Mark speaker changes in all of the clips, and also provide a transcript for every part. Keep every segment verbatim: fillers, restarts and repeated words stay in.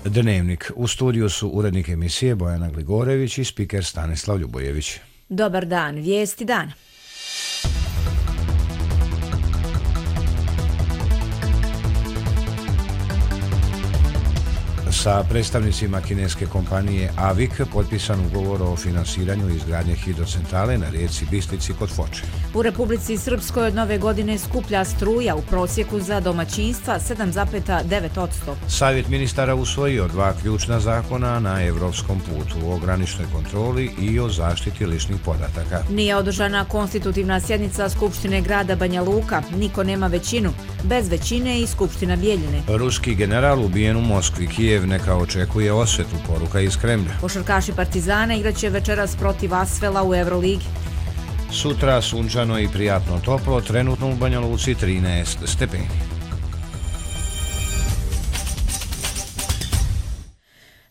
Speaker 1: Dnevnik. U studiju su urednik emisije Bojana Gligorević i spiker Stanislav Ljubojević.
Speaker 2: Dobar dan, vijesti dana.
Speaker 1: Sa predstavnicima kineske kompanije Avik potpisan ugovor o finansiranju izgradnje hidrocentrale na rijeci Bistrici kod Foče.
Speaker 2: U Republici Srpskoj od nove godine skuplja struja u prosjeku za domaćinstva sedam zarez devet posto.
Speaker 1: Savjet ministara usvojio dva ključna zakona na evropskom putu o graničnoj kontroli i o zaštiti ličnih podataka.
Speaker 2: Nije održana konstitutivna sjednica Skupštine grada Banja Luka. Niko nema većinu. Bez većine i Skupština Bijeljine.
Speaker 1: Ruski general ubijen u Moskvi. Kijev neka očekuje osvetu, poruka iz Kremlja.
Speaker 2: Košarkaši Partizana igraće večeras protiv Asvela u Euroligi.
Speaker 1: Sutra sunčano i prijatno toplo, trenutno u Banja Luci trinaest stepeni.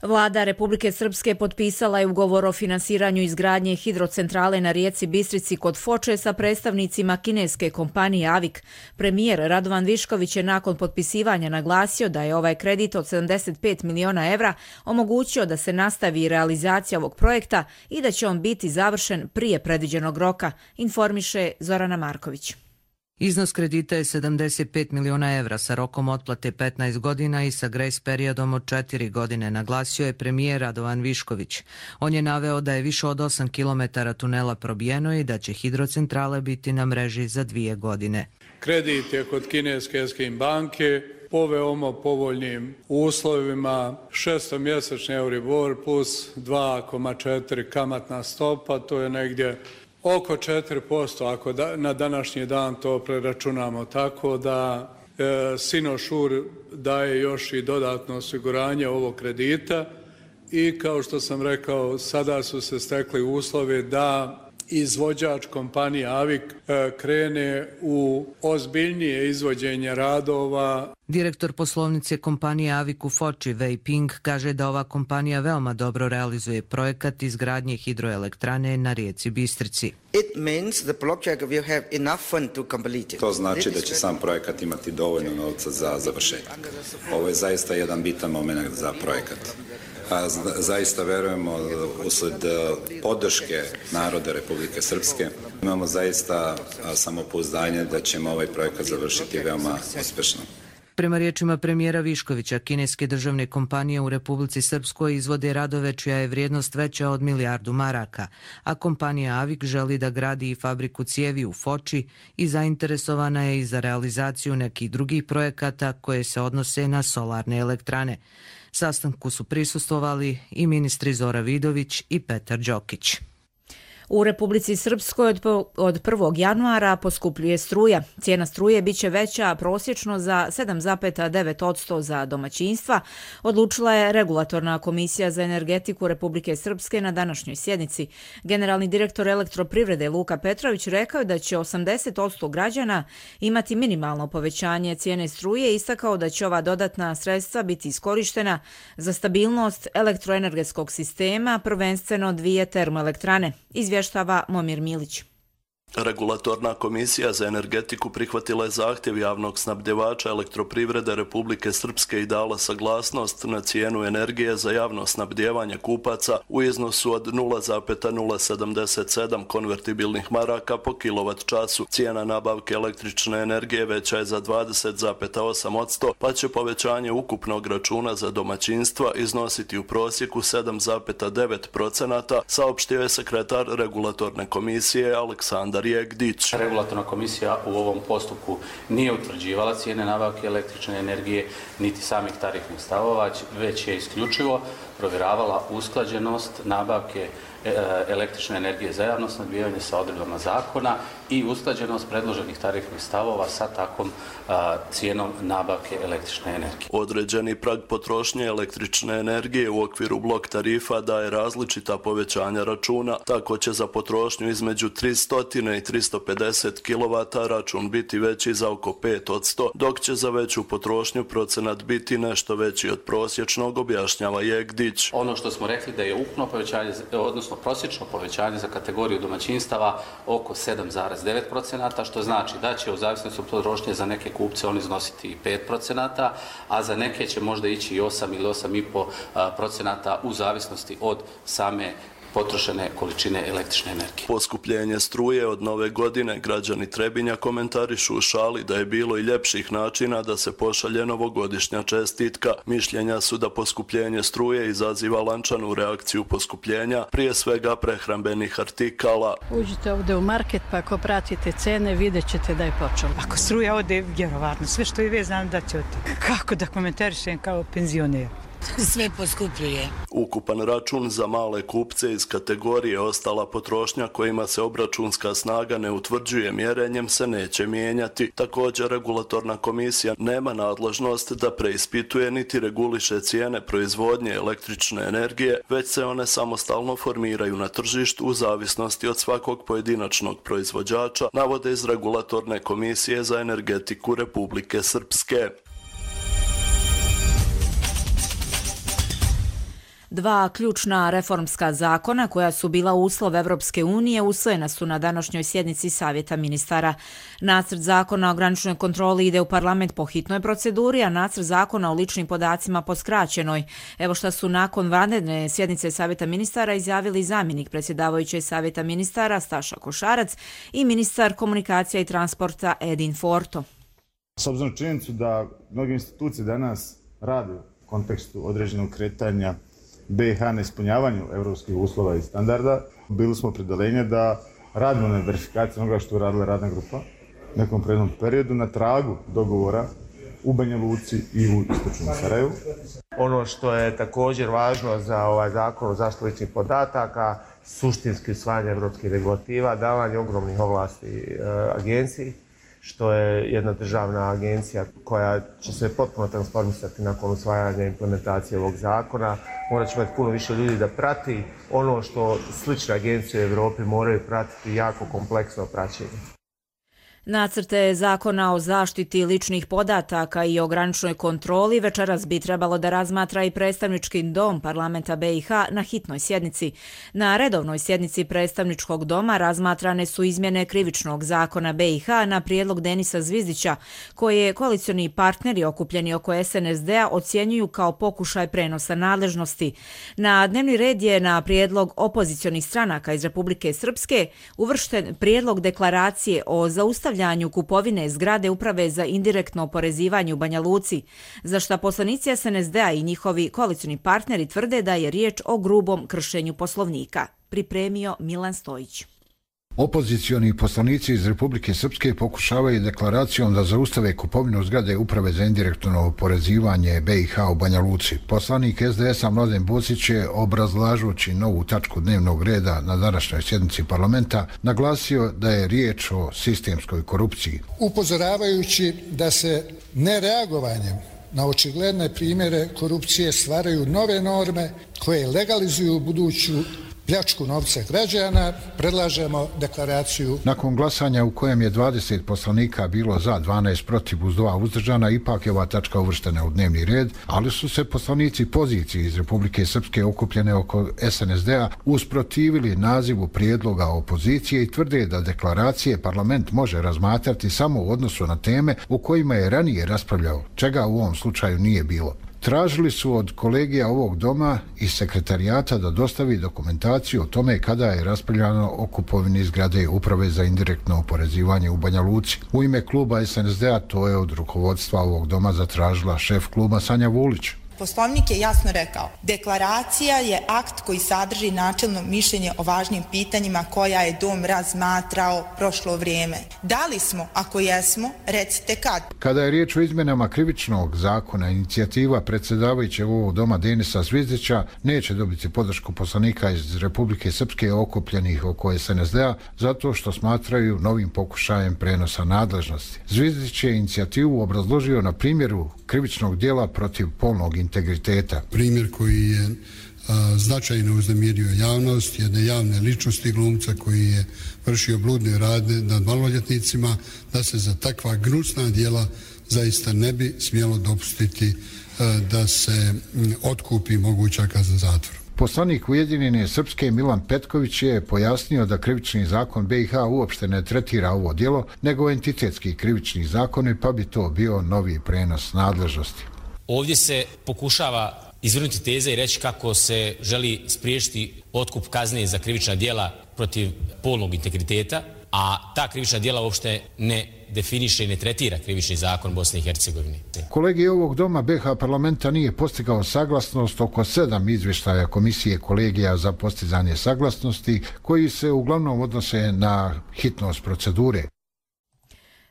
Speaker 2: Vlada Republike Srpske potpisala je ugovor o finansiranju izgradnje hidrocentrale na rijeci Bistrici kod Foče sa predstavnicima kineske kompanije Avik. Premijer Radovan Višković je nakon potpisivanja naglasio da je ovaj kredit od sedamdeset pet miliona evra omogućio da se nastavi realizacija ovog projekta i da će on biti završen prije predviđenog roka, informiše Zorana Marković.
Speaker 3: Iznos kredita je sedamdeset pet miliona evra sa rokom otplate petnaest godina i sa grejs periodom od četiri godine, naglasio je premijer Radovan Višković. On je naveo da je više od osam kilometara tunela probijeno i da će hidrocentrale biti na mreži za dvije godine.
Speaker 4: Kredit je kod kineske Eskim banke po veoma povoljnim uslovima, šestomjesečni Euribor plus dva zarez četiri kamatna stopa, to je negdje oko četiri posto ako da, na današnji dan to preračunamo, tako da e, Sinošur daje još i dodatno osiguranje ovog kredita i kao što sam rekao, sada su se stekli uslovi da izvođač kompanije Avik e, krene u ozbiljnije izvođenje radova.
Speaker 3: Direktor poslovnice kompanije Avik u Foči, Wei Ping, kaže da ova kompanija veoma dobro realizuje projekat izgradnje hidroelektrane na rijeci Bistrici.
Speaker 5: To znači da će sam projekat imati dovoljno novca za završetak. Ovo je zaista jedan bitan moment za projekat. A zaista verujemo usled podrške naroda Republike Srpske. Imamo zaista samopouzdanje da ćemo ovaj projekat završiti veoma uspešno.
Speaker 3: Prema riječima premijera Viškovića, kineske državne kompanije u Republici Srpskoj izvode radove čija je vrijednost veća od milijardu maraka, a kompanija Avik želi da gradi i fabriku cijevi u Foči i zainteresovana je i za realizaciju nekih drugih projekata koje se odnose na solarne elektrane. Sastanku su prisustvovali i ministri Zora Vidović i Petar Đokić.
Speaker 2: U Republici Srpskoj od prvog januara poskupljuje struja. Cijena struje biće veća prosječno za sedam zarez devet posto za domaćinstva, odlučila je Regulatorna komisija za energetiku Republike Srpske na današnjoj sjednici. Generalni direktor Elektroprivrede Luka Petrović rekao da će osamdeset posto građana imati minimalno povećanje cijene struje i istakao da će ova dodatna sredstva biti iskorištena za stabilnost elektroenergetskog sistema, prvenstveno dvije termoelektrane. Izvještava Momir Milić.
Speaker 6: Regulatorna komisija za energetiku prihvatila je zahtjev javnog snabdjevača Elektroprivrede Republike Srpske i dala saglasnost na cijenu energije za javno snabdjevanje kupaca u iznosu od nula zarez nula sedamdeset sedam konvertibilnih maraka po kilovat času. Cijena nabavke električne energije veća je za dvadeset zarez osam posto, pa će povećanje ukupnog računa za domaćinstva iznositi u prosjeku sedam zarez devet posto, saopštio je sekretar Regulatorne komisije Aleksandar Jegdić.
Speaker 7: Regulatorna komisija u ovom postupku nije utvrđivala cijene nabavke električne energije niti samih tarifnih stavova, već je isključivo provjeravala usklađenost nabavke električne energije za javno snabdijevanje sa odredbama zakona i usklađenost predloženih tarifnih stavova sa takvom a, cijenom nabavke električne energije.
Speaker 6: Određeni prag potrošnje električne energije u okviru blok tarifa daje različita povećanja računa, tako će za potrošnju između tristo i tristo pedeset kilovata račun biti veći za oko pet posto, dok će za veću potrošnju procenat biti nešto veći od prosječnog, objašnjava Jegdić.
Speaker 7: Ono što smo rekli da je ukupno povećanje, odnosno prosječno povećanje za kategoriju domaćinstava oko sedam zarez devet procenata, što znači da će u zavisnosti od potrošnje za neke kupce on iznositi i pet procenata, a za neke će možda ići i osam ili osam i po procenata u zavisnosti od same potrošene količine električne energije.
Speaker 6: Poskupljenje struje od nove godine građani Trebinja komentarišu u šali da je bilo i ljepših načina da se pošalje novogodišnja čestitka. Mišljenja su da poskupljenje struje izaziva lančanu reakciju poskupljenja, prije svega prehrambenih artikala.
Speaker 8: Uđite ovdje u market pa ako pratite cene vidjet ćete da je počelo.
Speaker 9: Ako struja ode, vjerovatno, sve što je vezano da će oti. Kako da komentarišem kao penzioner?
Speaker 10: Sve poskupljuje.
Speaker 6: Ukupan račun za male kupce iz kategorije ostala potrošnja kojima se obračunska snaga ne utvrđuje mjerenjem se neće mijenjati. Također regulatorna komisija nema nadležnost da preispituje niti reguliše cijene proizvodnje električne energije, već se one samostalno formiraju na tržištu u zavisnosti od svakog pojedinačnog proizvođača, navode iz regulatorne komisije za energetiku Republike Srpske.
Speaker 2: Dva ključna reformska zakona koja su bila uslov Evropske unije usvojena su na današnjoj sjednici Savjeta ministara. Nacrt zakona o graničnoj kontroli ide u parlament po hitnoj proceduri, a nacrt zakona o ličnim podacima po skraćenoj. Evo šta su nakon vanredne sjednice Savjeta ministara izjavili zamjenik predsjedavajuće Savjeta ministara Staša Košarac i ministar komunikacija i transporta Edin Forto.
Speaker 11: S obzirom na činjenicu da mnoge institucije danas rade u kontekstu određenog kretanja B i H na ispunjavanju evropskih uslova i standarda, bili smo opredeljenje da radimo na verifikaciji onoga što je radila radna grupa u nekom prethodnom periodu na tragu dogovora u Banja Luci i u istočnom Sarajevu.
Speaker 12: Ono što je također važno za ovaj zakon o zaštiti ličnih podataka, suštinski usvajanje evropskih regulativa, davanje ogromnih ovlasti e, agenciji, što je jedna državna agencija koja će se potpuno transformisati nakon usvajanja i implementacije ovog zakona. Morat će imati puno više ljudi da prati ono što slične agencije u Evropi moraju pratiti, jako kompleksno praćenje.
Speaker 2: Nacrte zakona o zaštiti ličnih podataka i o graničnoj kontroli večeras bi trebalo da razmatra i predstavnički dom parlamenta B i H na hitnoj sjednici. Na redovnoj sjednici predstavničkog doma razmatrane su izmjene krivičnog zakona B i H na prijedlog Denisa Zvizdića, koje koalicioni partneri okupljeni oko S N S D-a ocjenjuju kao pokušaj prenosa nadležnosti. Na dnevni red je na prijedlog opozicionih stranaka iz Republike Srpske uvršten prijedlog deklaracije o zaustavljanju kupovine zgrade Uprave za indirektno oporezivanje u Banja Luci, za šta poslanici S N S D-a i njihovi koalicioni partneri tvrde da je riječ o grubom kršenju Poslovnika. Pripremio Milan Stojić.
Speaker 13: Opozicioni poslanici iz Republike Srpske pokušavaju deklaracijom da zaustave kupovinu zgrade Uprave za indirektno oporezivanje B i H u Banja Luci. Poslanik S D S-a Mladen Bosić je, obrazlažući novu tačku dnevnog reda na današnjoj sjednici parlamenta, naglasio da je riječ o sistemskoj korupciji.
Speaker 14: Upozoravajući da se nereagovanjem na očigledne primjere korupcije stvaraju nove norme koje legalizuju buduću pljačku novca građana, predlažemo deklaraciju.
Speaker 13: Nakon glasanja u kojem je dvadeset poslanika bilo za, dvanaest protiv uz dva uzdržana, ipak je ova tačka uvrštena u dnevni red, ali su se poslanici pozicije iz Republike Srpske okupljene oko S N S D-a usprotivili nazivu prijedloga opozicije i tvrde da deklaracije parlament može razmatrati samo u odnosu na teme u kojima je ranije raspravljao, čega u ovom slučaju nije bilo. Tražili su od kolegija ovog doma i sekretarijata da dostavi dokumentaciju o tome kada je raspravljano o kupovini zgrade Uprave za indirektno oporezivanje u Banja Luci. U ime kluba S N S D-a to je od rukovodstva ovog doma zatražila šef kluba Sanja Vulić.
Speaker 15: Poslovnik je jasno rekao, deklaracija je akt koji sadrži načelno mišljenje o važnim pitanjima koja je dom razmatrao prošlo vrijeme. Da li smo, ako jesmo, recite kad.
Speaker 13: Kada je riječ o izmjenama krivičnog zakona, inicijativa predsjedavajućeg ovog doma Denisa Zvizdića neće dobiti podršku poslanika iz Republike Srpske okupljenih oko S N S D-a zato što smatraju novim pokušajem prenosa nadležnosti. Zvizdić je inicijativu obrazložio na primjeru krivičnog dijela protiv polnog integriteta.
Speaker 16: Primjer koji je a, značajno uznemirio javnost, jedne javne ličnosti glumca koji je vršio bludne radnje nad maloljetnicima, da se za takva gnusna djela zaista ne bi smjelo dopustiti a, da se m, otkupi moguća kazna zatvora.
Speaker 13: Poslanik Ujedinjene Srpske Milan Petković je pojasnio da krivični zakon B i H uopšte ne tretira ovo djelo, nego entitetski krivični zakoni, pa bi to bio novi prenos nadležnosti.
Speaker 17: Ovdje se pokušava izvrnuti teze i reći kako se želi spriječiti otkup kazne za krivična djela protiv polnog integriteta, a ta krivična djela uopšte ne definiše i ne tretira krivični zakon Bosne i Hercegovine.
Speaker 13: Kolegij ovog doma B H parlamenta nije postigao saglasnost oko sedam izvještaja Komisije kolegija za postizanje saglasnosti, koji se uglavnom odnose na hitnost procedure.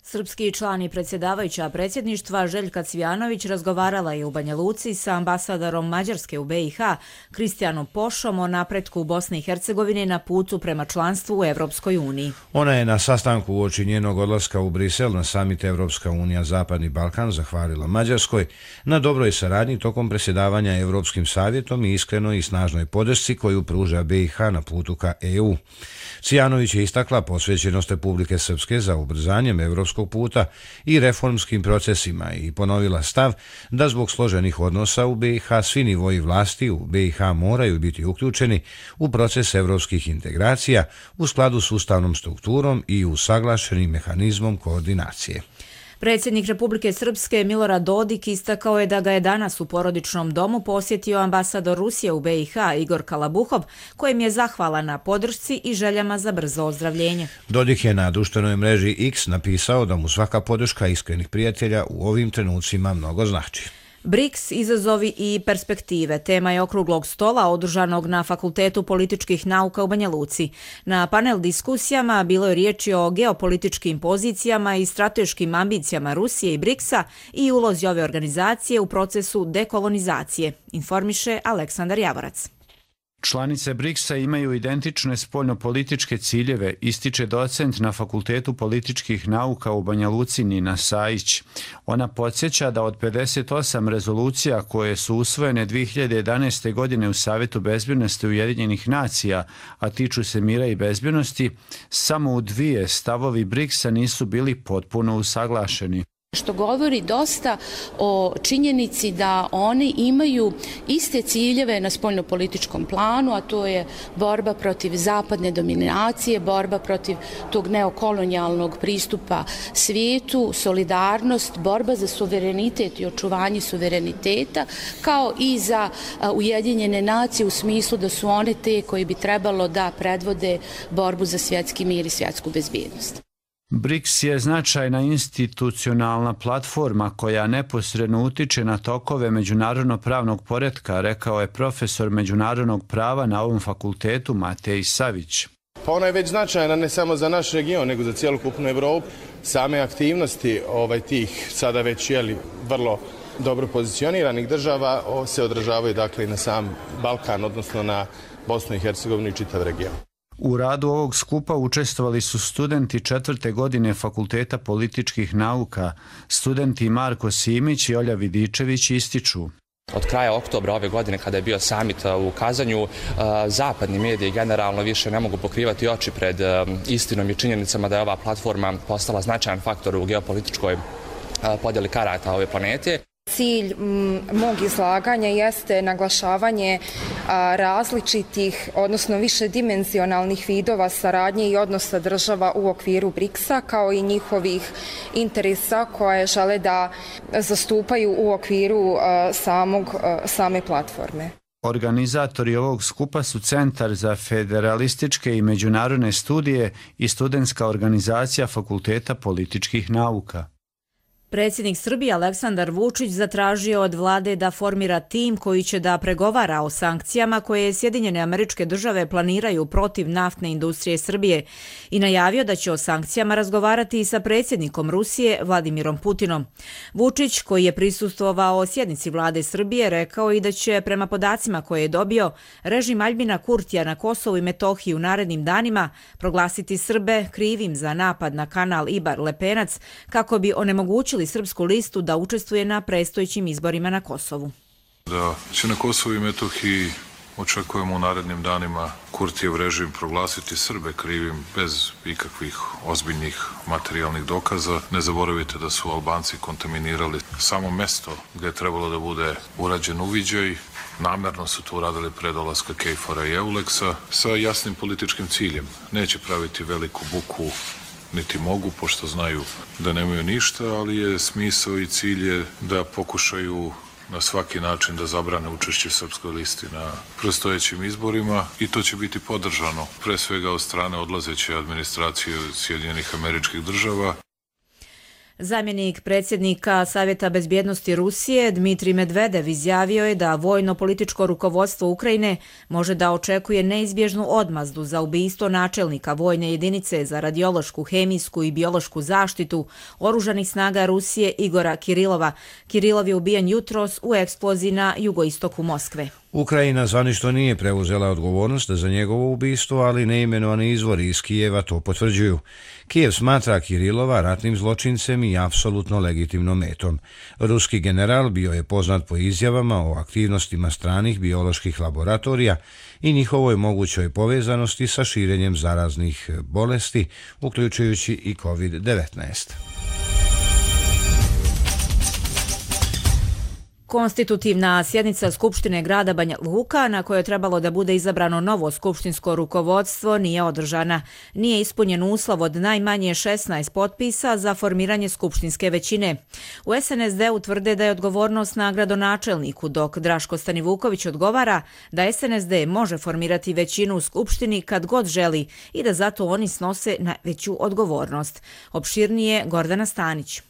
Speaker 2: Srpski član i predsjedavajuća predsjedništva Željka Cvijanović razgovarala je u Banja Luci sa ambasadorom Mađarske u B i H Kristijanom Pošom o napretku Bosne i Hercegovine na putu prema članstvu u Evropskoj uniji.
Speaker 1: Ona je na sastanku uoči njenog odlaska u Brisel na samit Evropska unija Zapadni Balkan zahvalila Mađarskoj na dobroj saradnji tokom predsjedavanja Evropskim savjetom i iskrenoj i snažnoj podršci koju pruža B i H na putu ka E U. Cvijanović je istakla posvećenost Republike Srpske za ubrzanjem evropskog puta i reformskim procesima i ponovila stav da zbog složenih odnosa u B i H svi nivoji vlasti u B i H moraju biti uključeni u proces evropskih integracija u skladu s ustavnom strukturom i usaglašenim mehanizmom koordinacije.
Speaker 2: Predsjednik Republike Srpske Milorad Dodik istakao je da ga je danas u porodičnom domu posjetio ambasador Rusije u B i H Igor Kalabuhov, kojem je zahvala na podršci i željama za brzo ozdravljenje.
Speaker 1: Dodik je na društvenoj mreži X napisao da mu svaka podrška iskrenih prijatelja u ovim trenucima mnogo znači.
Speaker 2: BRICS, izazovi i perspektive, tema je okruglog stola održanog na Fakultetu političkih nauka u Banja Luci. Na panel diskusijama bilo je riječi o geopolitičkim pozicijama i strateškim ambicijama Rusije i BRICS-a i ulozi ove organizacije u procesu dekolonizacije, informiše Aleksandar Javorac.
Speaker 18: Članice BRICS-a imaju identične spoljnopolitičke ciljeve, ističe docent na Fakultetu političkih nauka u Banja Luci Nina Sajić. Ona podsjeća da od pedeset osam rezolucija koje su usvojene dvije hiljade jedanaeste. godine u Savjetu bezbjednosti Ujedinjenih nacija, a tiču se mira i bezbjednosti, samo u dvije stavovi BRICS-a nisu bili potpuno usaglašeni.
Speaker 19: Što govori dosta o činjenici da oni imaju iste ciljeve na spoljnopolitičkom planu, a to je borba protiv zapadne dominacije, borba protiv tog neokolonijalnog pristupa svijetu, solidarnost, borba za suverenitet i očuvanje suvereniteta, kao i za Ujedinjene nacije u smislu da su one te koji bi trebalo da predvode borbu za svjetski mir i svjetsku bezbjednost.
Speaker 18: BRICS je značajna institucionalna platforma koja neposredno utiče na tokove međunarodnog pravnog poretka, rekao je profesor međunarodnog prava na ovom fakultetu Matej Savić.
Speaker 20: Pa ona je već značajna ne samo za naš region, nego za cijelokupnu Evropu. Same aktivnosti ovaj, tih sada već jeli, vrlo dobro pozicioniranih država se odražavaju dakle i na sam Balkan, odnosno na Bosnu i Hercegovinu i čitav region.
Speaker 18: U radu ovog skupa učestvovali su studenti četvrte godine Fakulteta političkih nauka. Studenti Marko Simić i Olja Vidičević ističu.
Speaker 21: Od kraja oktobra ove godine, kada je bio samit u Kazanju, zapadni mediji generalno više ne mogu pokrivati oči pred istinom i činjenicama da je ova platforma postala značajan faktor u geopolitičkoj podjeli karata ove planete.
Speaker 22: Cilj mog izlaganja jeste naglašavanje različitih, odnosno višedimenzionalnih vidova saradnje i odnosa država u okviru BRICS-a, kao i njihovih interesa koje žele da zastupaju u okviru samog, same platforme.
Speaker 18: Organizatori ovog skupa su Centar za federalističke i međunarodne studije i studentska organizacija Fakulteta političkih nauka.
Speaker 2: Predsjednik Srbije Aleksandar Vučić zatražio od vlade da formira tim koji će da pregovara o sankcijama koje Sjedinjene Američke Države planiraju protiv naftne industrije Srbije i najavio da će o sankcijama razgovarati i sa predsjednikom Rusije Vladimirom Putinom. Vučić, koji je prisustvovao sjednici vlade Srbije, rekao i da će, prema podacima koje je dobio, režim Aljbina Kurtija na Kosovu i Metohiji u narednim danima proglasiti Srbe krivim za napad na kanal Ibar-Lepenac kako bi onemogućili Srpsku listu da učestvuje na predstojećim izborima na Kosovu.
Speaker 23: Da će na Kosovu i Metohiji
Speaker 4: Očekujemo u narednim danima Kurtijev režim proglasiti Srbe krivim bez ikakvih ozbiljnih materijalnih dokaza. Ne zaboravite da su Albanci kontaminirali samo mesto gdje je trebalo da bude urađen uviđaj. Namerno su to uradili pre dolaska Kejfora i Euleksa sa jasnim političkim ciljem. Neće praviti veliku buku, niti mogu, pošto znaju da nemaju ništa, ali je smisao i cilj je da pokušaju na svaki način da zabrane učešće Srpskoj listi na predstojećim izborima i to će biti podržano pre svega od strane odlazeće administracije Sjedinjenih Američkih Država.
Speaker 2: Zamjenik predsjednika Savjeta bezbjednosti Rusije Dmitrij Medvedev izjavio je da vojno-političko rukovodstvo Ukrajine može da očekuje neizbježnu odmazdu za ubistvo načelnika vojne jedinice za radiološku, hemijsku i biološku zaštitu oružanih snaga Rusije Igora Kirilova. Kirilov je ubijen jutros u eksploziji na jugoistoku Moskve.
Speaker 1: Ukrajina zvanično nije preuzela odgovornost za njegovo ubistvo, ali neimenovani izvori iz Kijeva to potvrđuju. Kijev smatra Kirilova ratnim zločincem i apsolutno legitimnom metom. Ruski general bio je poznat po izjavama o aktivnostima stranih bioloških laboratorija i njihovoj mogućoj povezanosti sa širenjem zaraznih bolesti, uključujući i kovid devetnaest.
Speaker 2: Konstitutivna sjednica Skupštine grada Banja Luka, na kojoj je trebalo da bude izabrano novo skupštinsko rukovodstvo, nije održana. Nije ispunjen uslov od najmanje šesnaest potpisa za formiranje skupštinske većine. U es en es de-u tvrde da je odgovornost na gradonačelniku, dok Draško Stanivuković odgovara da es en es de može formirati većinu u skupštini kad god želi i da zato oni snose najveću odgovornost. Opširnije Gordana Stanić.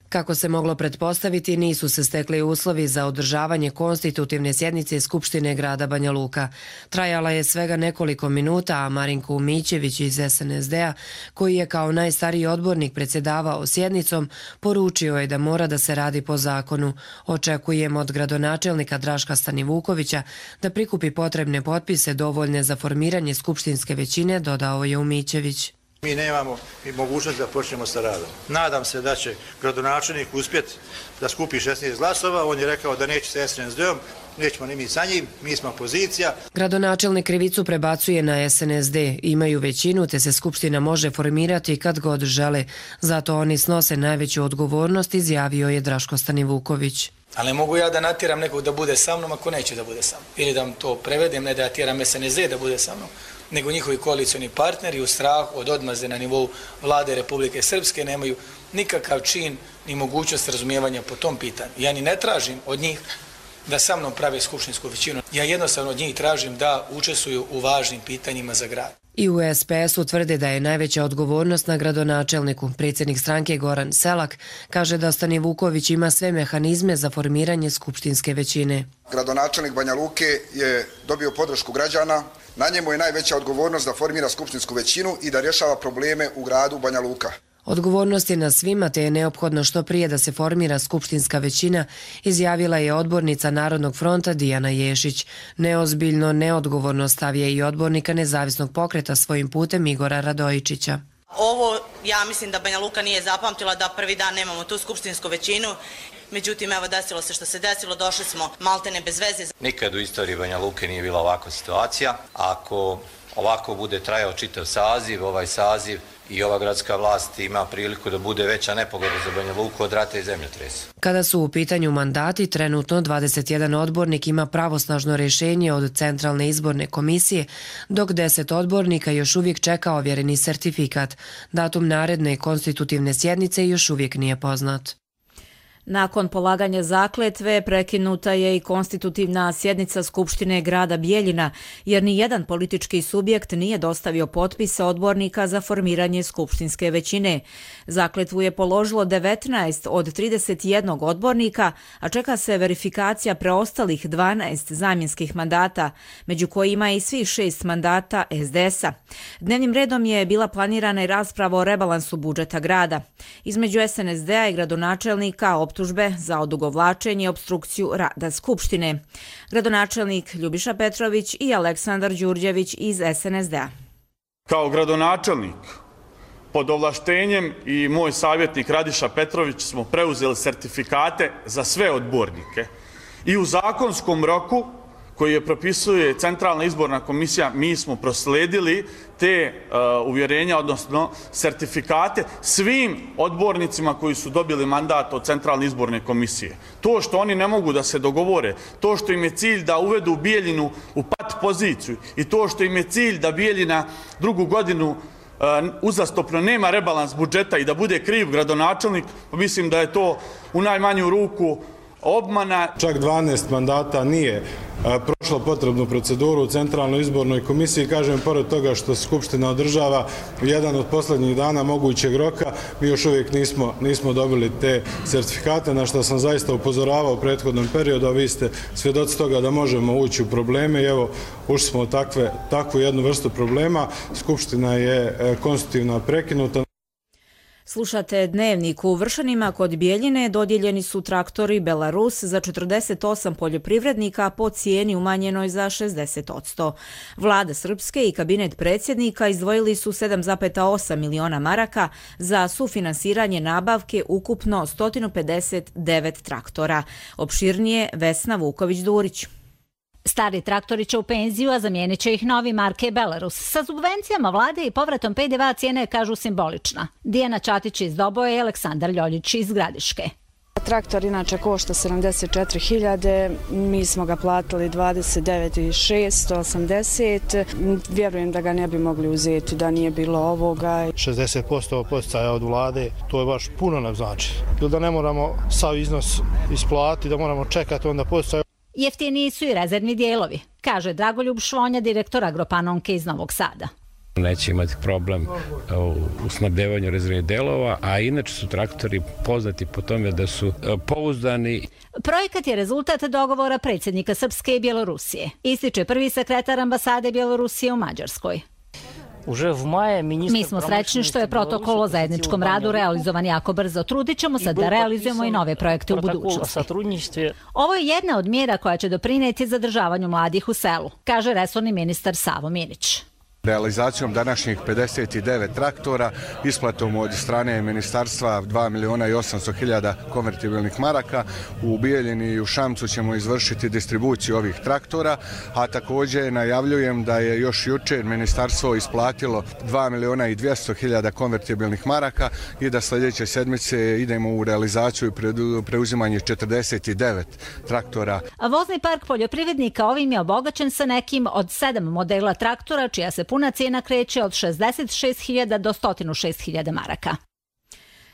Speaker 3: Kako se moglo pretpostaviti, nisu se stekli uslovi za održavanje konstitutivne sjednice Skupštine grada Banja Luka. Trajala je svega nekoliko minuta, a Marinko Umićević iz es en es de-a, koji je kao najstariji odbornik predsjedavao sjednicom, poručio je da mora da se radi po zakonu. Očekujemo od gradonačelnika Draška Stanivukovića da prikupi potrebne potpise dovoljne za formiranje skupštinske većine, dodao je Umićević.
Speaker 5: Mi nemamo i mogućnost da počnemo sa radom. Nadam se da će gradonačelnik uspjeti da skupi šesnaest glasova. On je rekao da neće sa es en es de-om, nećemo ni mi sa njim, mi smo opozicija.
Speaker 3: Gradonačelnik krivicu prebacuje na es en es de. Imaju većinu, te se skupština može formirati kad god žele. Zato oni snose najveću odgovornost, izjavio je Draško Stanivuković.
Speaker 23: Ali ne mogu ja da natjeram nekog da bude sa mnom ako neće da bude sa mnom. Ili da vam to prevedem, ne da ja tjeram es en es de da bude sa mnom, nego njihovi koalicioni partneri u strahu od odmazde na nivou vlade Republike Srpske nemaju nikakav čin ni mogućnost razumijevanja po tom pitanju. Ja ni ne tražim od njih da sa mnom prave skupštinsku većinu. Ja jednostavno od njih tražim da učestvuju u važnim pitanjima za grad.
Speaker 3: I u es pe es-u tvrde da je najveća odgovornost na gradonačelniku. Predsjednik stranke Goran Selak kaže da Stanivuković ima sve mehanizme za formiranje skupštinske većine.
Speaker 24: Gradonačelnik Banja Luke je dobio podršku građana. Na njemu je najveća odgovornost da formira skupštinsku većinu i da rješava probleme u gradu Banja Luka.
Speaker 3: Odgovornost je na svima, te je neophodno što prije da se formira skupštinska većina, izjavila je odbornica Narodnog fronta Dijana Ješić. Neozbiljno, neodgovorno stav je i odbornika Nezavisnog pokreta svojim putem Igora Radojičića.
Speaker 25: Ovo, ja mislim da Banja Luka nije zapamtila da prvi dan nemamo tu skupštinsku većinu. Međutim, evo desilo se što se desilo, došli smo maltene bez veze.
Speaker 26: Nikad u istoriji Banja Luke nije bila ovakva situacija. Ako ovako bude trajao čitav saziv, ovaj saziv i ova gradska vlast ima priliku da bude veća nepogoda za Banja Luku od rata i zemljotresa.
Speaker 3: Kada su u pitanju mandati, trenutno dvadeset jedan odbornik ima pravosnažno rješenje od Centralne izborne komisije, dok deset odbornika još uvijek čeka ovjereni sertifikat. Datum naredne konstitutivne sjednice još uvijek nije poznat.
Speaker 2: Nakon polaganja zakletve prekinuta je i konstitutivna sjednica Skupštine grada Bijeljina, jer ni jedan politički subjekt nije dostavio potpise odbornika za formiranje skupštinske većine. Zakletvu je položilo devetnaest od trideset jednog odbornika, a čeka se verifikacija preostalih dvanaest zamjenskih mandata, među kojima i svih šest mandata es de es-a. Dnevnim redom je bila planirana i rasprava o rebalansu budžeta grada. Između es en es de-a i gradonačelnika optužbe za odugovlačenje i obstrukciju rada Skupštine. Gradonačelnik Ljubiša Petrović i Aleksandar Đurđević iz es en es de-a.
Speaker 27: Kao gradonačelnik pod ovlaštenjem i moj savjetnik Radiša Petrović smo preuzeli sertifikate za sve odbornike i u zakonskom roku koji je propisuje Centralna izborna komisija, mi smo prosledili te uh, uvjerenja, odnosno sertifikate svim odbornicima koji su dobili mandat od Centralne izborne komisije. To što oni ne mogu da se dogovore, to što im je cilj da uvedu Bijeljinu u pat poziciju i to što im je cilj da Bijeljina drugu godinu uh, uzastopno nema rebalans budžeta i da bude kriv gradonačelnik, mislim da je to u najmanju ruku obmana.
Speaker 6: Čak dvanaest mandata nije a, prošlo potrebnu proceduru u Centralnoj izbornoj komisiji. Kažem, pored toga što Skupština održava jedan od posljednjih dana mogućeg roka, mi još uvijek nismo, nismo dobili te sertifikate, na što sam zaista upozoravao u prethodnom periodu, a vi ste svjedoci toga da možemo ući u probleme i evo, ušli smo u takve, takvu jednu vrstu problema. Skupština je e, konstitutivna prekinuta.
Speaker 2: Slušate Dnevnik. U Vršanima kod Bijeljine dodijeljeni su traktori Belarus za četrdeset osam poljoprivrednika po cijeni umanjenoj za šezdeset posto. Vlada Srpske i kabinet predsjednika izdvojili su sedam zarez osam miliona maraka za sufinansiranje nabavke ukupno sto pedeset devet traktora. Opširnije Vesna Vuković-Durić.
Speaker 7: Stari traktori će u penziju, a zamijenit će ih novi marke Belarus. Sa subvencijama vlade i povratom pe de ve cijena je, kažu, simbolična. Dijana Čatić iz Doboje i Aleksandar Ljoljić iz Gradiške.
Speaker 8: Traktor inače košta sedamdeset četiri hiljade, mi smo ga platili dvadeset devet hiljada šesto osamdeset. Vjerujem da ga ne bi mogli uzeti da nije bilo ovoga.
Speaker 9: šezdeset posto poticaja od vlade, to je baš puno nam znači. Ili da ne moramo sav iznos isplatiti, da moramo čekati onda poticaja.
Speaker 7: Jeftiniji su i rezervni dijelovi, kaže Dragoljub Švonja, direktor Agropanonke iz Novog Sada.
Speaker 10: Neće imati problem u snabdevanju rezervnih delova, a inače su traktori poznati po tome da su pouzdani.
Speaker 7: Projekat je rezultat dogovora predsjednika Srpske i Bjelorusije, ističe prvi sekretar ambasade Bjelorusije u Mađarskoj. Mi smo srećni što je protokol o zajedničkom radu realizovan jako brzo. Trudit ćemo se da realizujemo i nove projekte u budućnosti. Ovo je jedna od mjera koja će doprinijeti zadržavanju mladih u selu, kaže resorni ministar Savo Minić.
Speaker 11: Realizacijom današnjih pedeset devet traktora, isplatom od strane ministarstva dva miliona i osamsto hiljada konvertibilnih maraka, u Bijeljini i u Šamcu ćemo izvršiti distribuciju ovih traktora, a također najavljujem da je još jučer ministarstvo isplatilo dva miliona i dvjesto hiljada konvertibilnih maraka i da sljedeće sedmice idemo u realizaciju i preuzimanje četrdeset devet traktora.
Speaker 7: Vozni park poljoprivrednika ovim je obogaćen sa nekim od sedam modela traktora, čija se puna cijena kreće od šezdeset šest hiljada do sto šest hiljada maraka.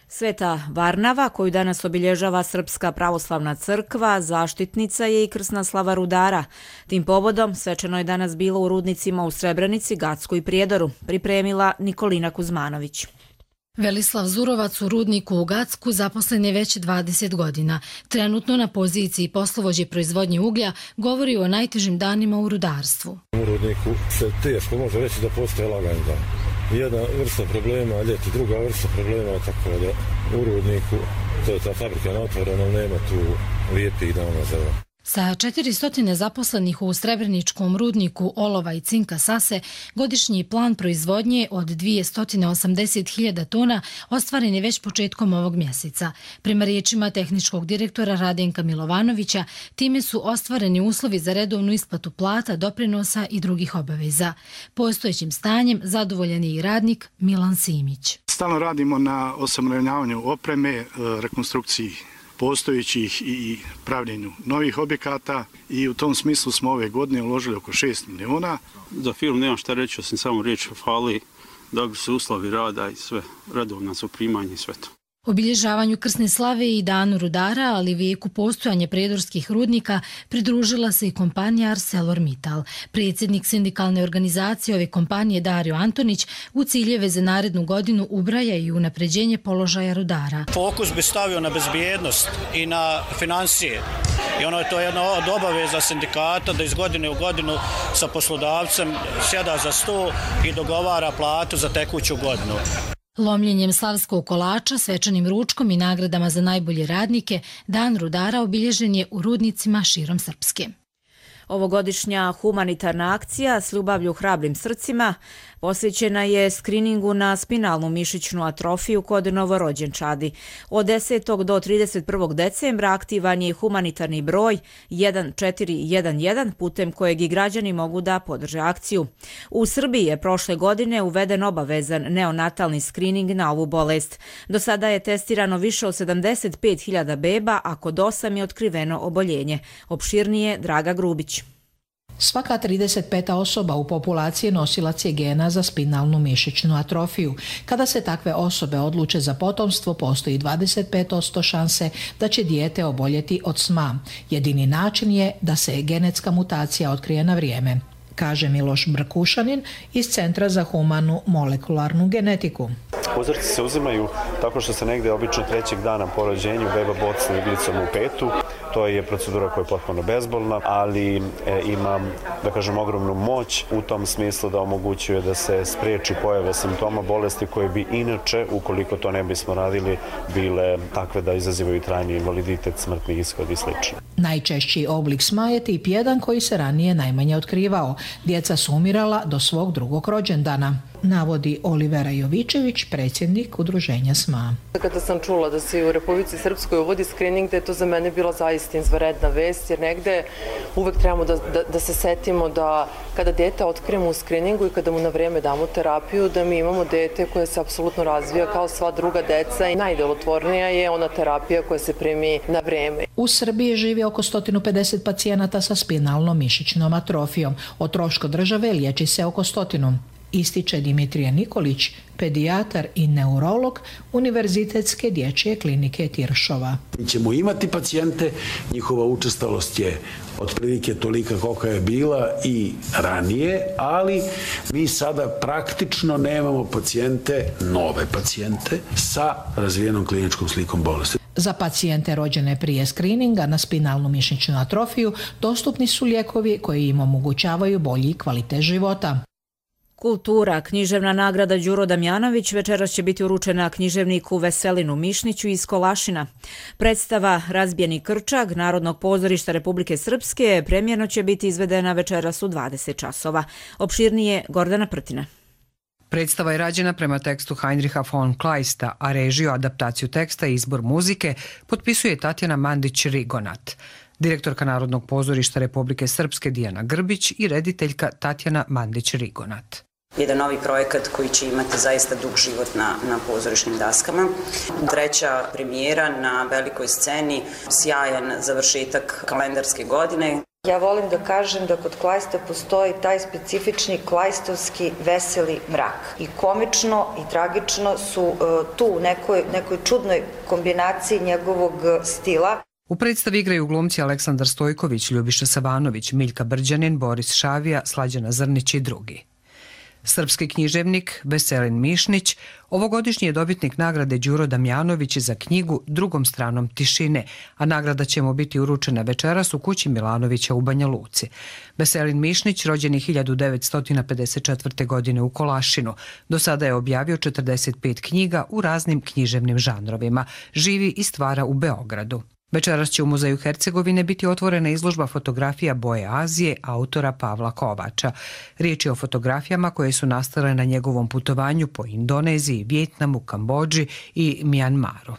Speaker 2: Sveta Varnava, koju danas obilježava Srpska pravoslavna crkva, zaštitnica je i krsna slava rudara. Tim povodom svečano je danas bilo u rudnicima u Srebrenici, Gacku i Prijedoru, pripremila Nikolina Kuzmanović.
Speaker 12: Velislav Zurovac u rudniku u Gacku zaposlen je već dvadeset godina. Trenutno na poziciji poslovođe proizvodnje uglja govori o najtežim danima u rudarstvu.
Speaker 28: U rudniku se teško može reći da postoje lagani dan. Jedna vrsta problema, ljeti druga vrsta problema, tako da u rudniku to je ta fabrika na otvoreno, nema tu lijepih dana za ovo.
Speaker 12: Sa četiristo zaposlenih u Srebreničkom rudniku olova i cinka Sase, godišnji plan proizvodnje od dvjesto osamdeset hiljada tona ostvaren je već početkom ovog mjeseca. Prema riječima tehničkog direktora Radenka Milovanovića, time su ostvareni uslovi za redovnu isplatu plata, doprinosa i drugih obaveza. Postojećim stanjem zadovoljan je i radnik Milan Simić.
Speaker 29: Stalno radimo na osamravnjavanju opreme, rekonstrukciji postojećih i pravljenju novih objekata i u tom smislu smo ove godine uložili oko šest miliona.
Speaker 30: Za film nemam šta reći, osim samo riječ fali, da su uslovi rada i sve, redovna su primanje i sve to.
Speaker 12: Obilježavanju krsne slave i danu rudara, ali vijeku postojanja prijedorskih rudnika, pridružila se i kompanija ArcelorMittal. Predsjednik sindikalne organizacije ove kompanije Dario Antonić u ciljeve za narednu godinu ubraja i unapređenje položaja rudara.
Speaker 31: Fokus bi stavio na bezbjednost i na financije. I ono je to jedna od obaveza sindikata da iz godine u godinu sa poslodavcem sjeda za sto i dogovara platu za tekuću godinu.
Speaker 12: Lomljenjem slavskog kolača, svečanim ručkom i nagradama za najbolje radnike, Dan rudara obilježen je u rudnicima širom Srpske.
Speaker 2: Ovogodišnja humanitarna akcija s ljubavlju hrabrim srcima Posvećena je skriningu na spinalnu mišićnu atrofiju kod novorođenčadi. Od desetog do trideset prvog decembra aktivan je humanitarni broj jedan četiri jedan jedan putem kojeg i građani mogu da podrže akciju. U Srbiji je prošle godine uveden obavezan neonatalni skrining na ovu bolest. Do sada je testirano više od sedamdeset pet hiljada beba, a kod osam je otkriveno oboljenje. Opširnije Draga Grubić.
Speaker 4: Svaka trideset peta osoba u populaciji nosilac je gena za spinalnu mišićnu atrofiju. Kada se takve osobe odluče za potomstvo, postoji dvadeset pet posto šanse da će dijete oboljeti od S M A. Jedini način je da se genetska mutacija otkrije na vrijeme, kaže Miloš Brkušanin iz Centra za humanu molekularnu genetiku.
Speaker 13: Uzorci se uzimaju tako što se negdje obično trećeg dana po rođenju beba bocne iglicom u petu. To je procedura koja je potpuno bezbolna, ali e, ima, da kažem, ogromnu moć u tom smislu da omogućuje da se spriječi pojave simptoma bolesti koje bi inače, ukoliko to ne bismo radili, bile takve da izazivaju trajni invaliditet, smrtni ishod i sl.
Speaker 4: Najčešći oblik S M A je tip jedan koji se ranije najmanje otkrivao. Djeca su umirala do svog drugog rođendana, navodi Olivera Jovičević, predsjednik udruženja S M A.
Speaker 14: Kada sam čula da se u Republici Srpskoj uvodi skrining, da je to za mene bila zaista izvanredna vest, jer negde uvek trebamo da, da, da se setimo da kada dete otkrijemo u skriningu i kada mu na vrijeme damo terapiju, da mi imamo dete koje se apsolutno razvija kao sva druga deca i najdelotvornija je ona terapija koja se primi na vrijeme.
Speaker 4: U Srbiji živi oko sto pedeset pacijenata sa spinalnom mišićnom atrofijom. O trošku države liječi se oko stotinu. Ističe Dimitrije Nikolić, pedijatar i neurolog Univerzitetske dječje klinike Tiršova.
Speaker 15: Mi ćemo imati pacijente, njihova učestalost je otprilike tolika kolika je bila i ranije, ali mi sada praktično nemamo pacijente, nove pacijente sa razvijenom kliničkom slikom bolesti.
Speaker 4: Za pacijente rođene prije skrininga na spinalnu mišićnu atrofiju dostupni su lijekovi koji im omogućavaju bolji kvalitet života.
Speaker 2: Kultura, književna nagrada Đuro Damjanović večeras će biti uručena književniku Veselinu Mišniću iz Kolašina. Predstava Razbijeni krčak Narodnog pozorišta Republike Srpske premijerno će biti izvedena večeras u dvadeset časova. Opširnije Gordana Prtina.
Speaker 16: Predstava je rađena prema tekstu Heinricha von Kleista, a režiju, adaptaciju teksta i izbor muzike potpisuje Tatjana Mandić-Rigonat. Direktorka Narodnog pozorišta Republike Srpske Dijana Grbić i rediteljka Tatjana Mandić-Rigonat.
Speaker 17: Jedan novi projekat koji će imati zaista dug život na, na pozorišnim daskama. Treća premijera na velikoj sceni, sjajan završetak kalendarske godine.
Speaker 18: Ja volim da kažem da kod Kleista postoji taj specifični klajstovski veseli mrak. I komično i tragično su uh, tu u nekoj, nekoj čudnoj kombinaciji njegovog stila.
Speaker 16: U predstavi igraju glumci Aleksandar Stojković, Ljubiša Savanović, Miljka Brđanin, Boris Šavija, Slađana Zrnić i drugi. Srpski književnik Veselin Mišnić ovogodišnji je dobitnik nagrade Đuro Damjanović za knjigu Drugom stranom tišine, a nagrada će mu biti uručena večeras u kući Milanovića u Banja Luci. Veselin Mišnić, rođen je hiljadu devetsto pedeset četvrte. godine u Kolašinu. Do sada je objavio četrdeset pet knjiga u raznim književnim žanrovima. Živi i stvara u Beogradu. Večeras će u Muzeju Hercegovine biti otvorena izložba fotografija Boje Azije autora Pavla Kovača. Riječ je o fotografijama koje su nastale na njegovom putovanju po Indoneziji, Vijetnamu, Kambodži i Mjanmaru.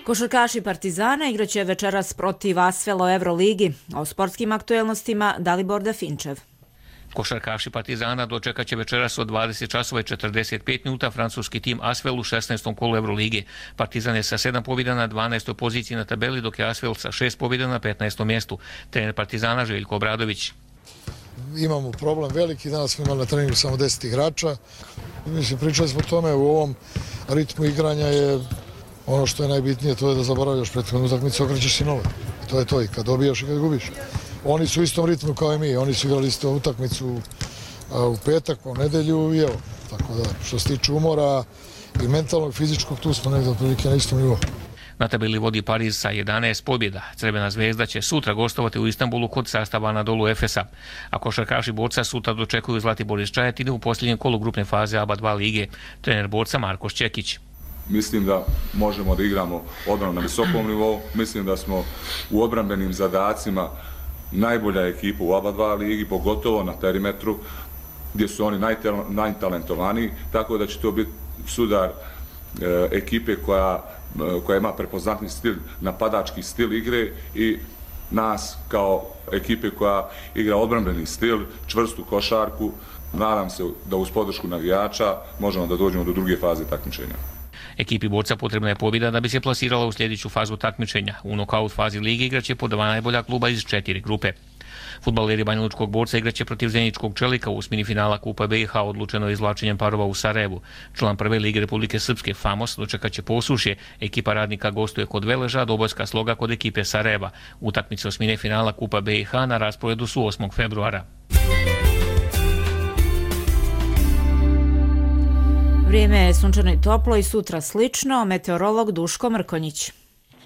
Speaker 2: Košarkaši Partizana igraće večeras protiv Asvela u Euroligi. O sportskim aktuelnostima Dalibor Dafinčev.
Speaker 19: Košarkaši Partizana dočekat će večeras od dvadeset časova i četrdeset pet minuta francuski tim Asvel u šesnaestom kolu Eurolige. Partizan je sa sedam pobjeda na dvanaestoj poziciji na tabeli, dok je Asvel sa šest pobjeda na petnaestom mjestu. Trener Partizana Željko Obradović.
Speaker 20: Imamo problem veliki, danas smo imali na treningu samo deset igrača. Mislim, pričali smo o tome, u ovom ritmu igranja je ono što je najbitnije, to je da zaboravljaš prethodnu utakmicu, okrećeš si nove. To je to, i kad dobijaš i kad gubiš. Oni su u istom ritmu kao i mi, oni su igrali isto utakmicu u petak, u nedelju i evo. Tako da, što se tiče umora i mentalnog i fizičkog, tu smo negdje otprilike na istom nivou.
Speaker 19: Na tabeli vodi Pariz sa jedanaest pobjeda. Crvena zvezda će sutra gostovati u Istanbulu kod sastava Anadolu Efesa. A košarkaši Borca sutra dočekuju Zlatibor iz Čajetine u posljednjem kolu grupne faze A B A dva lige. Trener Borca Marko Šćekić.
Speaker 21: Mislim da možemo da igramo odbranu na visokom nivou. Mislim da smo u odbrambenim zadacima najbolja ekipa u oba dva ligi, pogotovo na perimetru, gdje su oni najtalentovaniji, tako da će to biti sudar e, ekipe koja, koja ima prepoznatni stil, napadački stil igre i nas kao ekipe koja igra odbrambeni stil, čvrstu košarku. Nadam se da uz podršku navijača možemo da dođemo do druge faze takmičenja.
Speaker 19: Ekipi borca potrebna je pobjeda da bi se plasirala u sljedeću fazu takmičenja. U nokaut fazi lige igraće po dva najbolja kluba iz četiri grupe. Fudbaleri Banjalučkog borca igraće protiv Zeničkog Čelika u osmini finala Kupa B i H odlučeno izvlačenjem parova u Sarajevu. Član prve lige Republike Srpske Famos dočekaće Posušje. Ekipa Radnika gostuje kod Veleža, Dobojska Sloga kod ekipe Sarajeva. Utakmice osmine finala Kupa B i H na rasporedu su osmog februara.
Speaker 2: Vrijeme je sunčano i toplo i sutra slično. Meteorolog Duško Mrkonjić.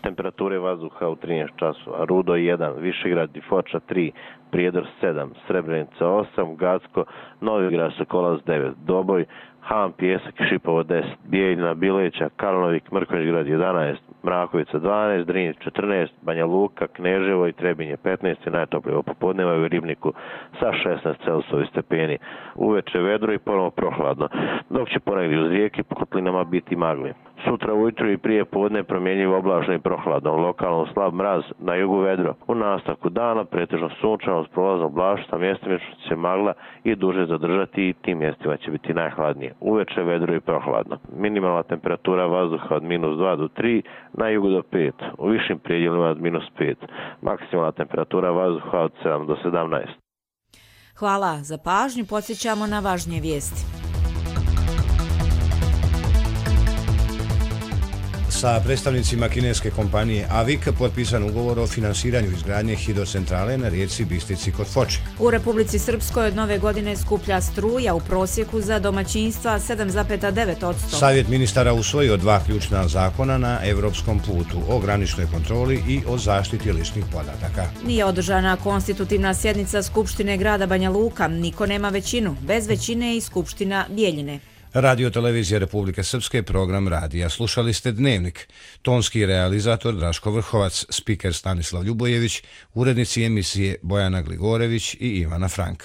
Speaker 1: Temperature vazduha u trinaest časova. Rudo jedan, Višegrad i Foča tri, Prijedor sedam, Srebrenica osam, Gacko, Novigrad, Sokolac devet, Doboj, Han, Pijesak i Šipovo deset, Bijeljina, Bileća, Kalnovik, Mrkonjić jedanaest, Mrakovica dvanaest, Drinje četrnaest, Banja Luka, Kneževo i Trebinje petnaest i najtoplije popodneva u Ribniku sa šesnaest Celsiusovih stepeni. Uveče vedro i ponovo prohladno, dok će ponegdje uz rijeke po kotlinama biti magli. Sutra ujutru i prije podne promjenjivo oblačno i prohladno, lokalno slab mraz, na jugu vedro. U nastavku dana pretežno sunčano s prolazom oblaštva, mjestimično će magla i duže zadržati i tim mjestima će biti najhladnije. Uveče vedro i prohladno. Minimalna temperatura vazduha od minus dva do tri, na jugu do pet, u višim predjelima od minus pet. Maksimalna temperatura vazduha od sedam do sedamnaest.
Speaker 2: Hvala za pažnju, podsjećamo na važnije vijesti.
Speaker 3: Sa predstavnicima kineske kompanije A V I K potpisan ugovor o finansiranju izgradnje hidrocentrale na rijeci Bistrici kod Foče.
Speaker 2: U Republici Srpskoj od nove godine skuplja struja u prosjeku za domaćinstva sedam zarez devet posto.
Speaker 3: Savjet ministara usvojio dva ključna zakona na evropskom putu o graničnoj kontroli i o zaštiti ličnih podataka.
Speaker 2: Nije održana konstitutivna sjednica Skupštine grada Banja Luka. Niko nema većinu. Bez većine i Skupština Bijeljine.
Speaker 3: Radio televizija Republike Srpske, program radija. Slušali ste Dnevnik. Tonski realizator Draško Vrhovac, spiker Stanislav Ljubojević, urednici emisije Bojana Gligorević i Ivana Frank.